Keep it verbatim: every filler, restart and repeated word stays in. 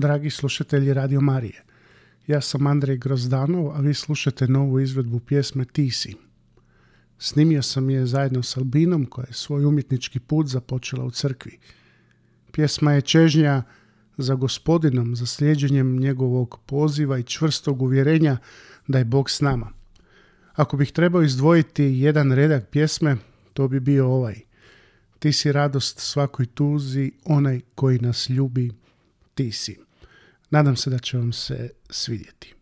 dragi slušatelji Radio Marije. Ja sam Andrej Grozdanov, a vi slušate novu izvedbu pjesme Ti si. Snimio sam je zajedno s Albinom, koja je svoj umjetnički put započela u crkvi. Pjesma je čežnja za Gospodinom, za slijeđenjem njegovog poziva i čvrstog uvjerenja da je Bog s nama. Ako bih trebao izdvojiti jedan redak pjesme, to bi bio ovaj. Ti si radost svakoj tuzi, onaj koji nas ljubi, ti si. Nadam se da će vam se svidjeti.